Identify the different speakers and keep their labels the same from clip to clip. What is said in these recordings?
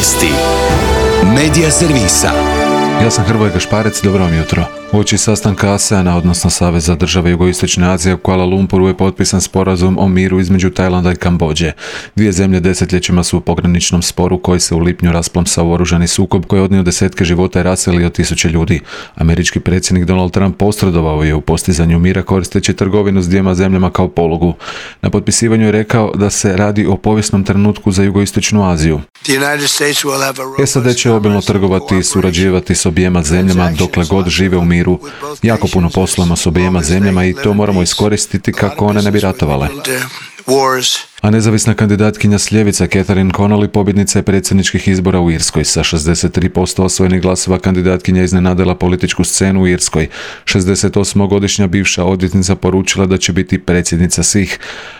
Speaker 1: Vijesti Medija servisa.
Speaker 2: Ja sam Hrvoje Gašparec, dobro vam jutro. Uoči sastanka ASEAN-a, odnosno Saveza država Jugoistočne Azije, u Kuala Lumpuru je potpisan sporazum o miru između Tajlanda i Kambodže. Dvije zemlje desetljećima su u pograničnom sporu koji se u lipnju rasplamsao u oružani sukob koji je odnio desetke života i raselio tisuće ljudi. Američki predsjednik Donald Trump posredovao je u postizanju mira koristeći trgovinu s dvijema zemljama kao polugu. Na potpisivanju je rekao da se radi o povijesnom trenutku za Jugoistočnu Aziju. SAD će obilno trgovati i surađivati s objema zemljama dokle god žive u miru. Jako puno poslujemo s objema zemljama i to moramo iskoristiti kako one ne bi ratovale. A nezavisna kandidatkinja s ljevice Catherine Connolly pobjednica je predsjedničkih izbora u Irskoj. Sa 63% osvojenih glasova kandidatkinja iznenadila političku scenu u Irskoj. 68-godišnja bivša odvjetnica poručila da će biti predsjednica svih,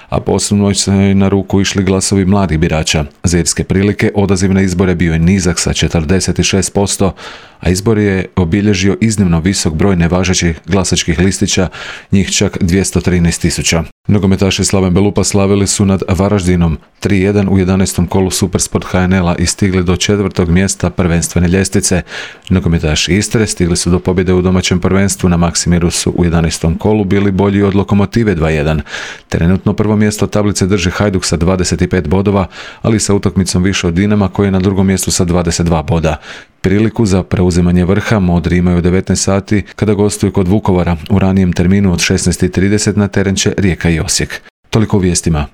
Speaker 2: a posebno se na ruku išli glasovi mladih birača. Za irske prilike odaziv na izbore bio je nizak sa 46%, a izbor je obilježio iznimno visok broj nevažećih glasačkih listića, njih čak 213.000. Nogometaši Slaven Belupa slavili su nad Varaždinom 3-1 u 11. kolu Supersport HNL-a i stigli do 4. mjesta prvenstvene ljestvice. Nogometaši Istre stigli su do pobjede u domaćem prvenstvu, na Maksimiru su u 11. kolu bili bolji od Lokomotive 2-1. Trenutno prvo mjesto tablice drži Hajduk sa 25 bodova, ali sa utakmicom više od Dinama koji je na drugom mjestu sa 22 boda. Priliku za preuzimanje vrha Modri imaju 19 sati kada gostuju kod Vukovara. U ranijem terminu od 16:30 na teren će Rijeka i Osijek. Toliko u vijestima.